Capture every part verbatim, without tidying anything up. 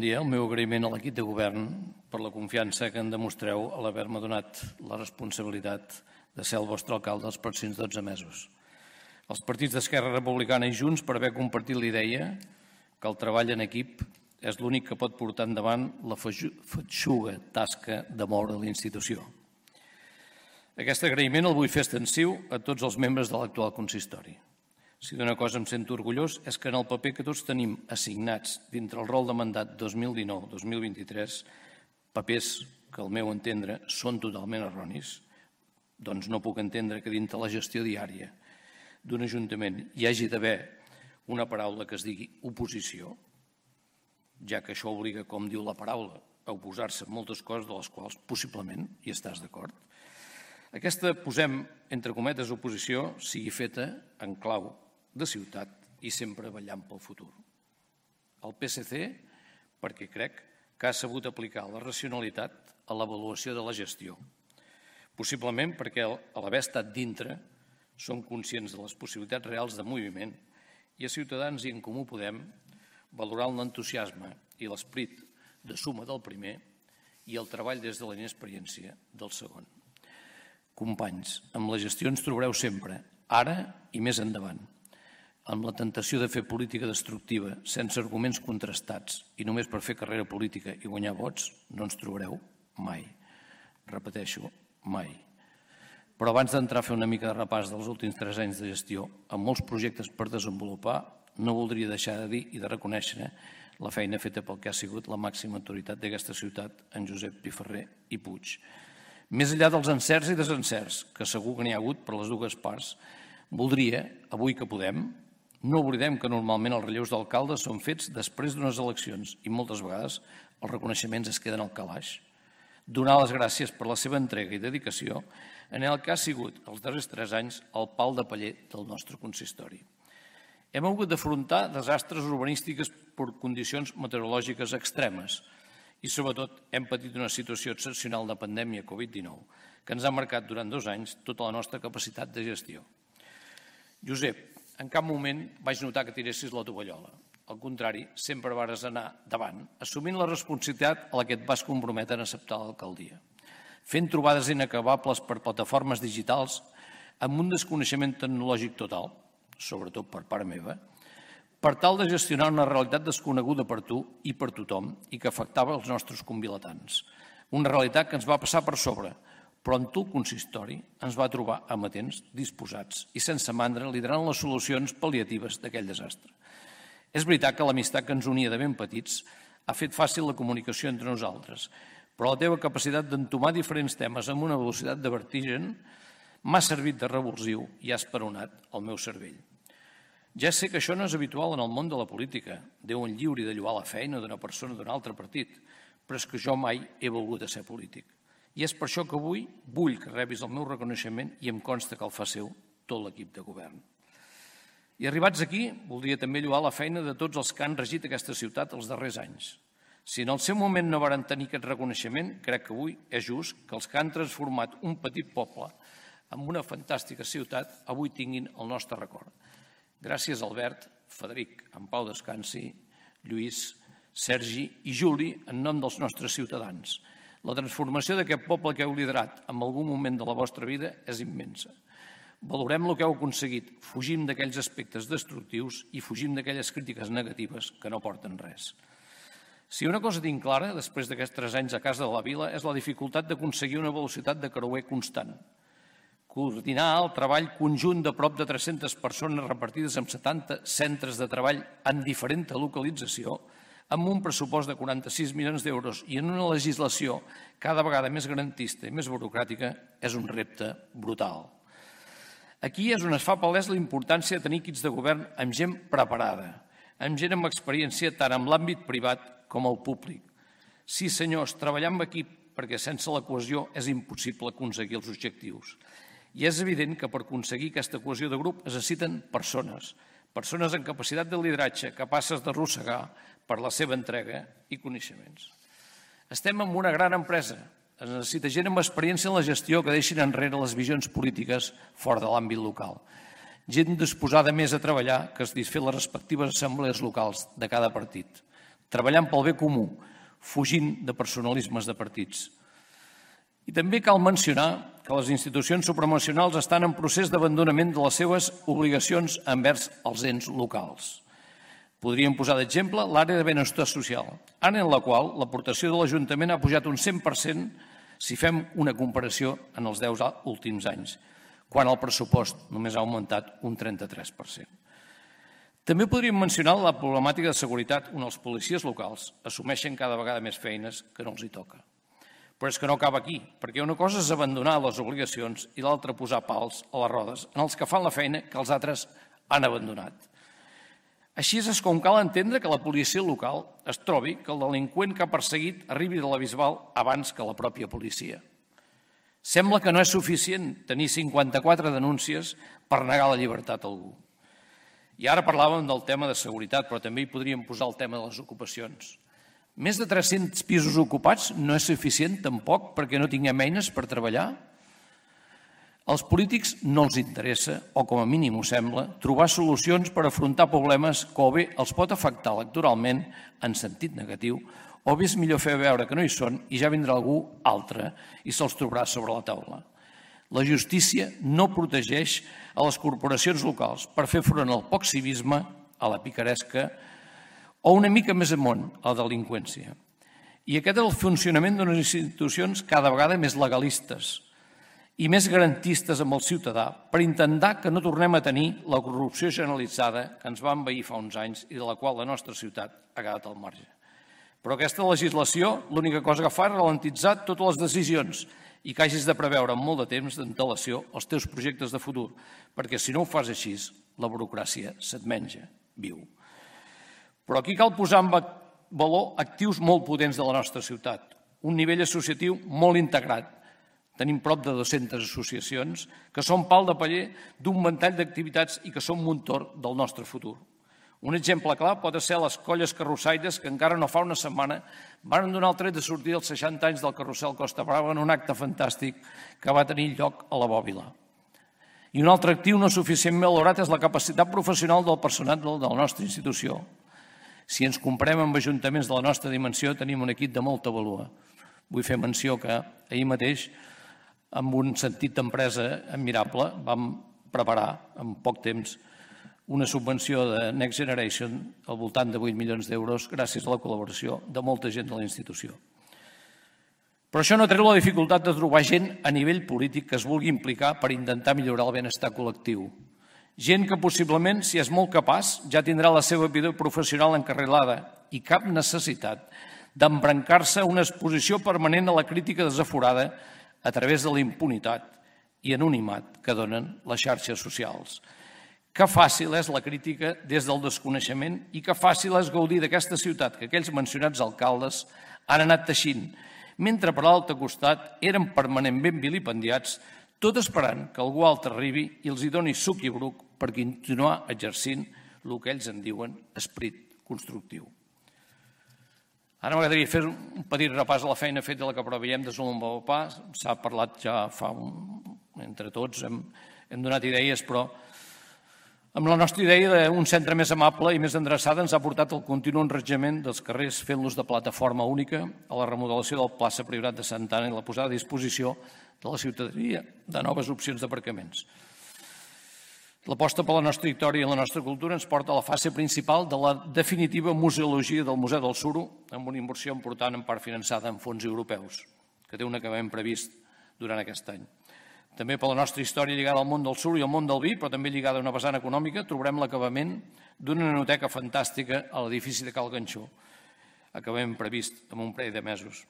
dia. El meu agraïment a l'equip de govern per la confiança que en demostreu a l'haver-me donat la responsabilitat de ser el vostre alcalde els pròxims dotze mesos. Els partits d'Esquerra Republicana i Junts per haver compartit l'idea que el treball en equip és l'únic que pot portar endavant la feixuga tasca de moure la institució. Aquest agraïment el vull fer extensiu a tots els membres de l'actual consistori. Si d'una cosa em sento orgullós és que en el paper que tots tenim assignats dintre el rol de mandat dos mil dinou dos mil vint-i-tres, papers que al meu entendre són totalment erronis, doncs no puc entendre que dintre la gestió diària d'un ajuntament hi hagi d'haver una paraula que es digui oposició, ja que això obliga, com diu la paraula, a oposar-se a moltes coses de les quals possiblement hi estàs d'acord. Aquesta, posem entre cometes, oposició sigui feta en clau de ciutat i sempre vetllant pel futur. El P S C, perquè crec que ha sabut aplicar la racionalitat a l'avaluació de la gestió. Possiblement perquè, a l'haver estat dintre, són conscients de les possibilitats reals de moviment i a Ciutadans i en Comú Podem valorant l'entusiasme i l'esperit de suma del primer i el treball des de la inexperiència del segon. Companys, amb la gestió ens trobareu sempre, ara i més endavant. Amb la tentació de fer política destructiva, sense arguments contrastats i només per fer carrera política i guanyar vots, no ens trobareu mai. Repeteixo, mai. Però abans d'entrar a fer una mica de repàs dels últims tres anys de gestió, amb molts projectes per desenvolupar, no voldria deixar de dir i de reconèixer la feina feta pel que ha sigut la màxima autoritat d'aquesta ciutat, en Josep Piferrer i Puig. Més enllà dels encerts i desencerts, que segur que n'hi ha hagut per les dues parts, voldria, avui que podem, no oblidem que normalment els relleus d'alcaldes són fets després d'unes eleccions i moltes vegades els reconeixements es queden al calaix. Donar les gràcies per la seva entrega i dedicació en el que ha sigut els darrers tres anys el pal de paller del nostre consistori. Hem hagut d'afrontar desastres urbanístics per condicions meteorològiques extremes i, sobretot, hem patit una situació excepcional de pandèmia Covid dinou que ens ha marcat durant dos anys tota la nostra capacitat de gestió. Josep, en cap moment vaig notar que tiressis la tovallola. Al contrari, sempre vares anar davant, assumint la responsabilitat a la que et vas comprometre en acceptar l'alcaldia. Fent trobades inacabables per plataformes digitals amb un desconeixement tecnològic total, sobretot per part meva, per tal de gestionar una realitat desconeguda per tu i per tothom i que afectava els nostres convilatans. Una realitat que ens va passar per sobre, però en tu el consistori ens va trobar amatents, disposats i sense mandra liderant les solucions pal·liatives d'aquell desastre. És veritat que l'amistat que ens unia de ben petits ha fet fàcil la comunicació entre nosaltres, però la teva capacitat d'entomar diferents temes amb una velocitat de vertigen m'ha servit de revulsiu i ha esperonat el meu cervell. Ja sé que això no és habitual en el món de la política. Déu en lliuri de lloar la feina d'una persona d'un altre partit, però és que jo mai he volgut ser polític. I és per això que avui vull que rebis el meu reconeixement i em consta que el fa seu tot l'equip de govern. I arribats aquí, voldria també lloar la feina de tots els que han regit aquesta ciutat els darrers anys. Si en el seu moment no varen tenir aquest reconeixement, crec que avui és just que els que han transformat un petit poble en una fantàstica ciutat avui tinguin el nostre record. Gràcies, Albert, Frederic, en Pau descansi, Lluís, Sergi i Juli, en nom dels nostres ciutadans. La transformació d'aquest poble que heu liderat en algun moment de la vostra vida és immensa. Valorem el que heu aconseguit, fugim d'aquells aspectes destructius i fugim d'aquelles crítiques negatives que no porten res. Si una cosa tinc clara, després d'aquests tres anys a casa de la vila, és la dificultat d'aconseguir una velocitat de creuer constant. Coordinar el treball conjunt de prop de tres-centes persones repartides en setanta centres de treball en diferent localització, amb un pressupost de quaranta-sis milions d'euros i en una legislació cada vegada més garantista i més burocràtica, és un repte brutal. Aquí és on es fa palès la importància de tenir equips de govern amb gent preparada, amb gent amb experiència tant en l'àmbit privat com el públic. Sí, senyors, treballar amb equip perquè sense la cohesió és impossible aconseguir els objectius. I és evident que per aconseguir aquesta cohesió de grup es necessiten persones, persones amb capacitat de lideratge, capaces d'arrossegar per la seva entrega i coneixements. Estem en una gran empresa. Es necessita gent amb experiència en la gestió que deixin enrere les visions polítiques fora de l'àmbit local. Gent disposada més a treballar que a desfer les respectives assemblees locals de cada partit. treballant pel bé comú, fugint de personalismes de partits. I també cal mencionar que les institucions supranacionals estan en procés d'abandonament de les seves obligacions envers els ens locals. Podríem posar d'exemple l'àrea de benestar social, àrea en la qual l'aportació de l'Ajuntament ha pujat un cent per cent si fem una comparació en els deu últims anys, quan el pressupost només ha augmentat un trenta-tres per cent. També podríem mencionar la problemàtica de seguretat on els policies locals assumeixen cada vegada més feines que no els hi toca. Però és que no acaba aquí, perquè una cosa és abandonar les obligacions i l'altra posar pals a les rodes en els que fan la feina que els altres han abandonat. Així és com cal entendre que la policia local es trobi que el delinqüent que ha perseguit arribi de la Bisbal abans que la pròpia policia. Sembla que no és suficient tenir cinquanta-quatre denúncies per negar la llibertat a algú. I ara parlàvem del tema de seguretat, però també hi podríem posar el tema de les ocupacions. Més de tres-cents pisos ocupats no és suficient tampoc perquè no tinguem eines per treballar? Als polítics no els interessa, o com a mínim ho sembla, trobar solucions per afrontar problemes que o bé els pot afectar electoralment en sentit negatiu, o bé és millor fer veure que no hi són i ja vindrà algú altre i se'ls trobarà sobre la taula. La justícia no protegeix a les corporacions locals per fer front al poc civisme, a la picaresca o una mica més amunt, a la delinqüència. I aquest és el funcionament d'unes institucions cada vegada més legalistes i més garantistes amb el ciutadà per intentar que no tornem a tenir la corrupció generalitzada que ens va envair fa uns anys i de la qual la nostra ciutat ha quedat al marge. Però aquesta legislació l'única cosa que fa és ralentitzar totes les decisions i que hagis de preveure amb molt de temps d'antelació els teus projectes de futur, perquè si no ho fas així, la burocràcia se't menja viu. Però aquí cal posar en valor actius molt potents de la nostra ciutat, un nivell associatiu molt integrat. Tenim prop de dues-centes associacions que són pal de paller d'un ventall d'activitats i que són motor del nostre futur. Un exemple clar pot ser les colles carrossaires que encara no fa una setmana van donar el tret de sortir els seixanta anys del carrusel Costa Brava en un acte fantàstic que va tenir lloc a la Bòbila. I un altre actiu no suficientment valorat és la capacitat professional del personal de la nostra institució. Si ens comparem amb ajuntaments de la nostra dimensió, tenim un equip de molta vàlua. Vull fer menció que ahir mateix, amb un sentit d'empresa admirable, vam preparar en poc temps una subvenció de Next Generation al voltant de vuit milions d'euros gràcies a la col·laboració de molta gent de la institució. Però això no treu la dificultat de trobar gent a nivell polític que es vulgui implicar per intentar millorar el benestar col·lectiu. Gent que possiblement, si és molt capaç, ja tindrà la seva vida professional encarrilada i cap necessitat d'embrancar-se una exposició permanent a la crítica desaforada a través de la impunitat i anonimat que donen les xarxes socials. Que fàcil és la crítica des del desconeixement i que fàcil és gaudir d'aquesta ciutat que aquells mencionats alcaldes han anat teixint, mentre per l'altre costat eren permanentment vilipendiats, tot esperant que algú altre arribi i els hi doni suc i bruc per continuar exercint el que ells en diuen esperit constructiu. Ara m'agradaria fer un petit repàs a la feina feta de la que preveiem de Solon Bapà. S'ha parlat ja fa un... entre tots, hem, hem donat idees, però amb la nostra idea d'un centre més amable i més endreçada ens ha portat el continu enrejament dels carrers fent-los de plataforma única, a la remodelació del plaça Priorat de Santa Anna i la posada a disposició de la ciutadania de noves opcions d'aparcaments. L'aposta per la nostra història i la nostra cultura ens porta a la fase principal de la definitiva museologia del Museu del Suro, amb una inversió important en part finançada en fons europeus, que té un acabament previst durant aquest any. També per la nostra història lligada al món del suro i al món del vi, però també lligada a una vessant econòmica, trobarem l'acabament d'una nanoteca fantàstica a l'edifici de Cal Ganxó, acabament previst en un parell de mesos.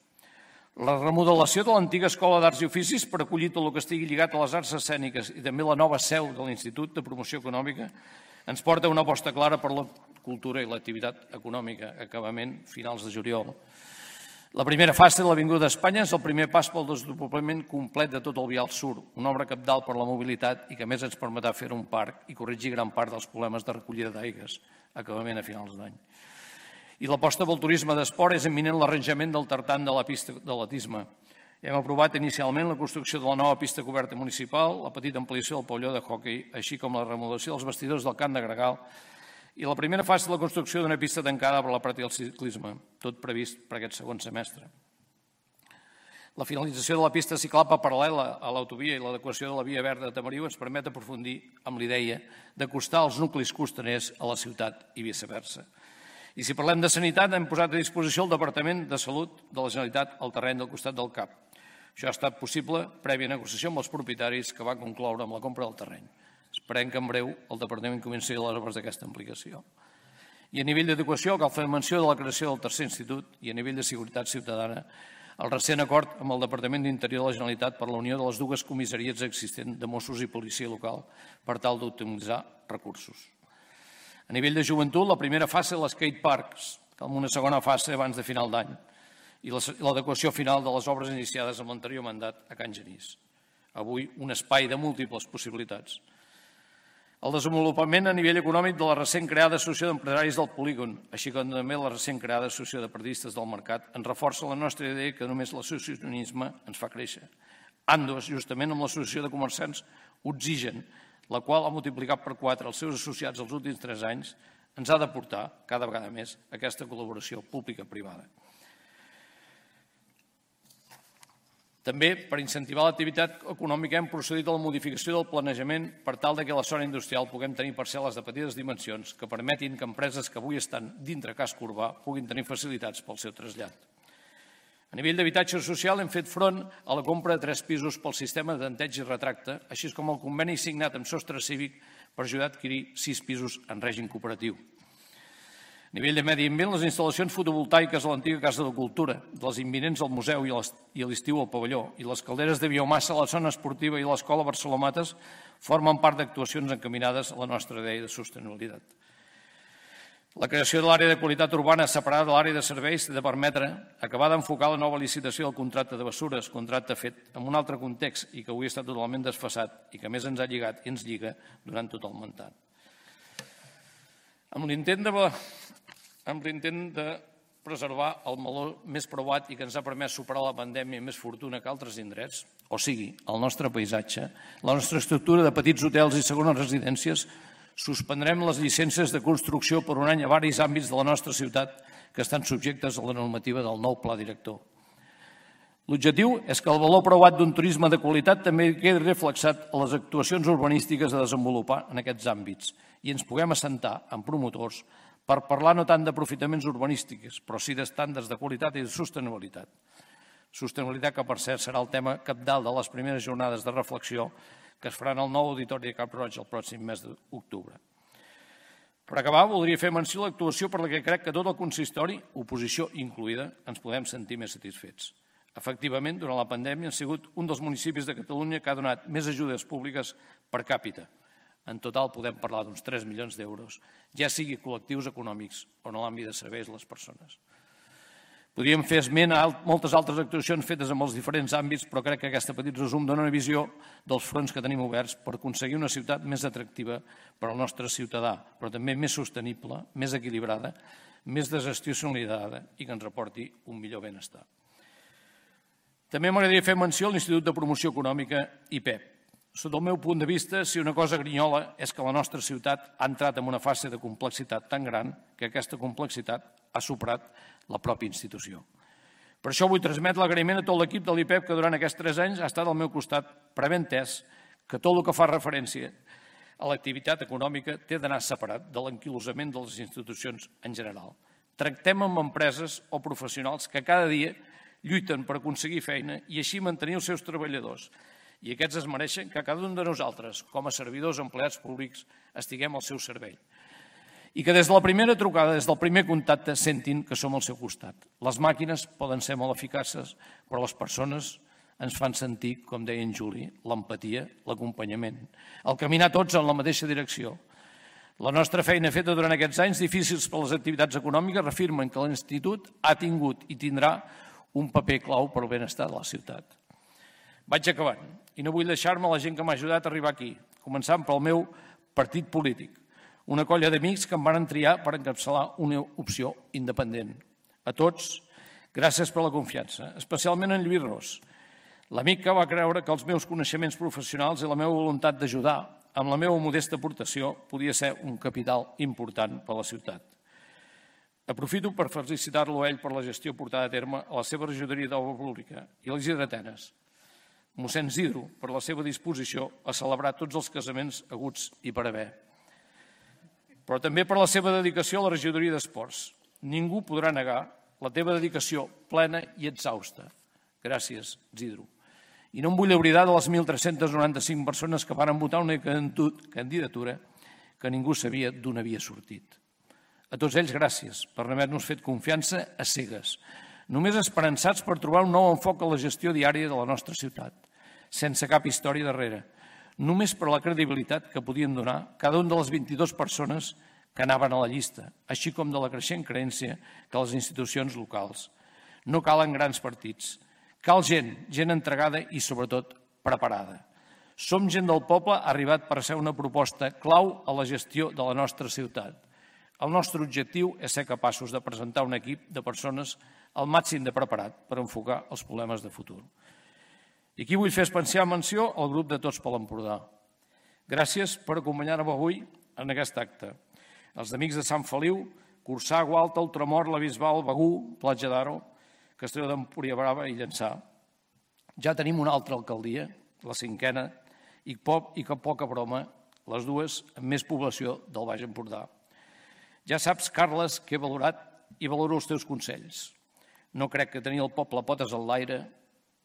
La remodelació de l'antiga Escola d'Arts i Oficis per acollir tot el que estigui lligat a les arts escèniques i també la nova seu de l'Institut de Promoció Econòmica ens porta a una aposta clara per la cultura i l'activitat econòmica, acabament finals de juliol. La primera fase de l'Avinguda d'Espanya és el primer pas pel desdoblament complet de tot el vial sur, una obra cabdal per la mobilitat i que a més ens permetrà fer un parc i corregir gran part dels problemes de recollida d'aigues, acabament a finals d'any. I l'aposta pel turisme d'esport és imminent l'arranjament del tartan de la pista d'atletisme. Hem aprovat inicialment la construcció de la nova pista coberta municipal, la petita ampliació del pavelló de hoquei, així com la remodelació dels vestidors del camp de Gregal I la primera fase de la construcció d'una pista tancada per la pràctica del ciclisme, tot previst per aquest segon semestre. La finalització de la pista ciclable paral·lela a l'autovia i l'adequació de la via verda de Tamariu ens permet aprofundir amb l'idea d'acostar els nuclis costaners a la ciutat i viceversa. I si parlem de sanitat, hem posat a disposició el Departament de Salut de la Generalitat al terreny del costat del C A P. Això ha estat possible prèvia negociació amb els propietaris que va concloure amb la compra del terreny. Esperem que en breu el Departament comenci les obres d'aquesta implicació. I a nivell d'educació cal fer menció de la creació del tercer institut i a nivell de seguretat ciutadana el recent acord amb el Departament d'Interior de la Generalitat per la unió de les dues comissaries existents de Mossos i Policia Local per tal d'optimitzar recursos. A nivell de joventut, la primera fase de l'skate parks, amb una segona fase abans de final d'any, i l'adequació final de les obres iniciades amb l'anterior mandat a Can Genís. Avui, un espai de múltiples possibilitats. El desenvolupament a nivell econòmic de la recent creada Associació d'Empresaris del Polígon, així com també la recent creada Associació de Periodistes del Mercat, ens reforça la nostra idea que només l'associacionisme ens fa créixer. Andos, justament amb l'Associació de Comerciants Oxigen, la qual ha multiplicat per quatre els seus associats els últims tres anys, ens ha de portar cada vegada més aquesta col·laboració pública-privada. També, per incentivar l'activitat econòmica, hem procedit a la modificació del planejament per tal que a la zona industrial puguem tenir parcel·les de petites dimensions que permetin que empreses que avui estan dintre casc urbà puguin tenir facilitats pel seu trasllat. A nivell d'habitatge social hem fet front a la compra de tres pisos pel sistema de tanteig i retracte, així com el conveni signat amb Sostre Cívic per ajudar a adquirir sis pisos en règim cooperatiu. A nivell de medi ambient, les instal·lacions fotovoltaiques a l'antiga Casa de Cultura, les imminents al museu i a l'estiu al pavelló, i les calderes de biomassa a la zona esportiva i a l'escola Barcelomates formen part d'actuacions encaminades a la nostra idea de sostenibilitat. La creació de l'àrea de qualitat urbana separada de l'àrea de serveis ha de permetre acabar d'enfocar la nova licitació del contracte de bessures, contracte fet en un altre context i que avui està totalment desfasat i que més ens ha lligat i ens lliga durant tot el mandat. Amb l'intent de amb l'intent de preservar el meló més preuat i que ens ha permès superar la pandèmia amb més fortuna que altres indrets, o sigui, el nostre paisatge, la nostra estructura de petits hotels i segones residències, suspendrem les llicències de construcció per un any a varis àmbits de la nostra ciutat que estan subjectes a la normativa del nou pla director. L'objectiu és que el valor preuat d'un turisme de qualitat també quedi reflexat a les actuacions urbanístiques a desenvolupar en aquests àmbits i ens puguem assentar amb promotors per parlar no tant d'aprofitaments urbanístics, però sí d'estàndards de qualitat i de sostenibilitat. Sostenibilitat que, per cert, serà el tema cabdal de les primeres jornades de reflexió que es faran al nou auditori de Cap Roig el pròxim mes d'octubre. Per acabar, voldria fer menció a l'actuació per la que crec que tot el consistori, oposició incloïda, ens podem sentir més satisfets. Efectivament, durant la pandèmia han sigut un dels municipis de Catalunya que ha donat més ajudes públiques per càpita. En total podem parlar d'uns tres milions d'euros, ja sigui col·lectius econòmics o en l'àmbit de serveis a les persones. Podríem fer esment a moltes altres actuacions fetes en els diferents àmbits, però crec que aquest petit resum dona una visió dels fronts que tenim oberts per aconseguir una ciutat més atractiva per al nostre ciutadà, però també més sostenible, més equilibrada, més desestacionalitzada i que ens reporti un millor benestar. També m'agradaria fer menció a l'Institut de Promoció Econòmica I P E P. Sota el meu punt de vista, si una cosa grinyola és que la nostra ciutat ha entrat en una fase de complexitat tan gran que aquesta complexitat ha superat la pròpia institució. Per això vull transmetre l'agraïment a tot l'equip de l'I P E P que durant aquests tres anys ha estat al meu costat per haver entès que tot el que fa referència a l'activitat econòmica té d'anar separat de l'anquilosament de les institucions en general. Tractem amb empreses o professionals que cada dia lluiten per aconseguir feina i així mantenir els seus treballadors. I aquests es mereixen que cada un de nosaltres, com a servidors o empleats públics, estiguem al seu servei. I que des de la primera trucada, des del primer contacte, sentin que som al seu costat. Les màquines poden ser molt eficaces, però les persones ens fan sentir, com deia en Juli, l'empatia, l'acompanyament, el caminar tots en la mateixa direcció. La nostra feina feta durant aquests anys difícils per les activitats econòmiques reafirmen que l'Institut ha tingut i tindrà un paper clau per al benestar de la ciutat. Vaig acabant, i no vull deixar-me la gent que m'ha ajudat a arribar aquí, començant pel meu partit polític, una colla d'amics que em van triar per encapçalar una opció independent. A tots, gràcies per la confiança, especialment en Lluís Ros, l'amic que va creure que els meus coneixements professionals i la meva voluntat d'ajudar amb la meva modesta aportació, podia ser un capital important per a la ciutat. Aprofito per felicitar-lo a ell per la gestió portada a terme a la seva regidoria d'Obra Pública i als Giretenes, mossèn Zidro, per la seva disposició a celebrar tots els casaments haguts i per haver. Però també per la seva dedicació a la regidoria d'Esports. Ningú podrà negar la teva dedicació plena i exhausta. Gràcies, Zidro. I no em vull oblidar de les mil tres-cents noranta-cinc persones que van votar una candidatura que ningú sabia d'on havia sortit. A tots ells, gràcies per haver-nos fet confiança a cegues, només esperançats per trobar un nou enfoc a la gestió diària de la nostra ciutat, sense cap història darrere, només per la credibilitat que podien donar cada una de les vint-i-dues persones que anaven a la llista, així com de la creixent creença que les institucions locals. No calen grans partits, cal gent, gent entregada i, sobretot, preparada. Som gent del poble arribat per ser una proposta clau a la gestió de la nostra ciutat. El nostre objectiu és ser capaços de presentar un equip de persones al màxim de preparat per enfocar els problemes de futur. I aquí vull fer especial menció al grup de Tots per l'Empordà. Gràcies per acompanyar-me avui en aquest acte. Els amics de Sant Feliu, Corçà, Gualta, Ultramort, la Bisbal, Begur, Platja d'Aro, Castelló d'Empúries Brava i Llançà. Ja tenim una altra alcaldia, la cinquena, i que poca broma, les dues amb més població del Baix Empordà. Ja saps, Carles, que he valorat i valoro els teus consells. No crec que tenir el poble potes en l'aire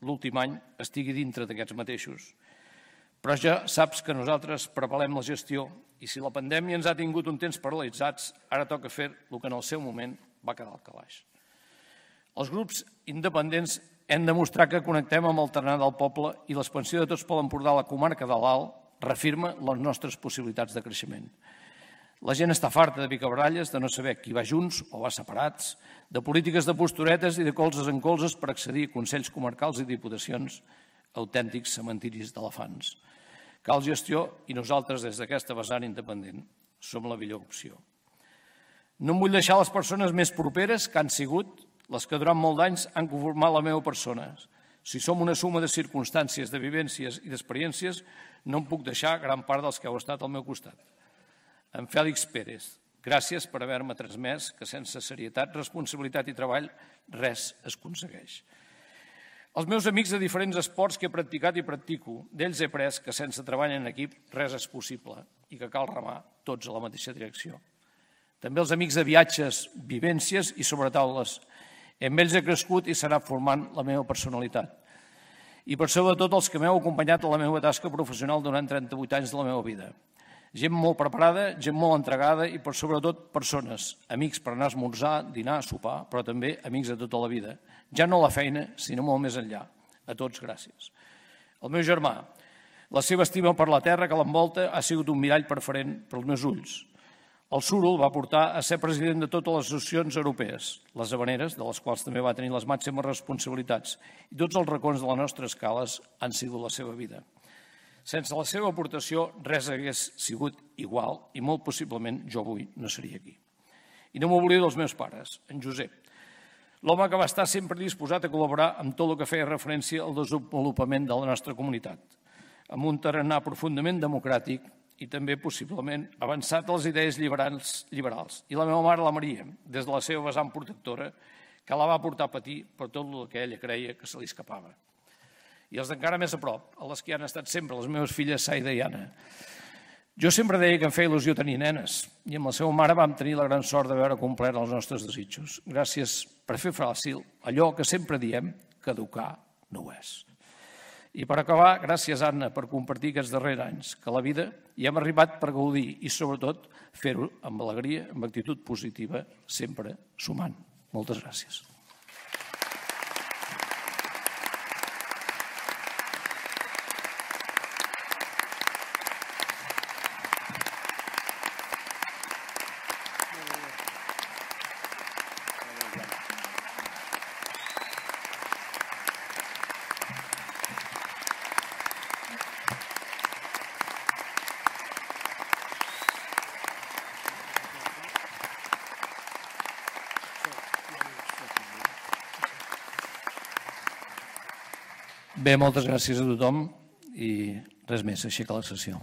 l'últim any estigui dintre d'aquests mateixos. Però ja saps que nosaltres preparem la gestió i si la pandèmia ens ha tingut un temps paralitzats, ara toca fer el que en el seu moment va quedar al calaix. Els grups independents hem de mostrar que connectem amb el tarannà del poble i l'expansió de Tots per l'Empordà a la comarca de l'Alt reafirma les nostres possibilitats de creixement. La gent està farta de picabaralles, de no saber qui va junts o va separats, de polítiques de posturetes i de colzes en colzes per accedir a consells comarcals i diputacions, autèntics cementiris d'elefants. Cal gestió i nosaltres, des d'aquesta vessant independent, som la millor opció. No em vull deixar les persones més properes que han sigut les que durant molt d'anys han conformat la meva persona. Si som una suma de circumstàncies, de vivències i d'experiències, no em puc deixar gran part dels que heu estat al meu costat. En Fèlix Pérez, gràcies per haver-me transmès que sense serietat, responsabilitat i treball res es aconsegueix. Els meus amics de diferents esports que he practicat i practico, d'ells he après que sense treball en equip res és possible i que cal remar tots a la mateixa direcció. També els amics de viatges, vivències i sobretaules. Amb ells he crescut i s'ha anat formant la meva personalitat. I per sobretot els que m'heu acompanyat a la meva tasca professional durant trenta-vuit anys de la meva vida. Gent molt preparada, gent molt entregada i, per sobretot, persones, amics per anar a esmorzar, dinar, sopar, però també amics de tota la vida. Ja no a la feina, sinó molt més enllà. A tots, gràcies. El meu germà, la seva estima per la terra que l'envolta ha sigut un mirall preferent pels meus ulls. El suro el va portar a ser president de totes les associacions europees, les habaneres, de les quals també va tenir les màximes responsabilitats, i tots els racons de les nostres cales han sigut la seva vida. Sense la seva aportació, res hagués sigut igual i molt possiblement jo avui no seria aquí. I no m'oblido dels meus pares, en Josep, l'home que va estar sempre disposat a col·laborar amb tot el que feia referència al desenvolupament de la nostra comunitat, amb un tarannà profundament democràtic i també possiblement avançat a les idees liberals. I la meva mare, la Maria, des de la seva vessant protectora, que la va portar a patir per tot el que ella creia que se li escapava. I els d'encara més a prop, a les que han estat sempre les meves filles Saida i Anna. Jo sempre deia que em feia il·lusió tenir nenes i amb la seva mare vam tenir la gran sort de veure complert els nostres desitjos. Gràcies per fer fàcil allò que sempre diem que educar no ho és. I per acabar, gràcies, Anna, per compartir aquests darrers anys, que a la vida hi hem arribat per gaudir i, sobretot, fer-ho amb alegria, amb actitud positiva, sempre sumant. Moltes gràcies. Bé, moltes gràcies a tothom i res més, aixeca la sessió.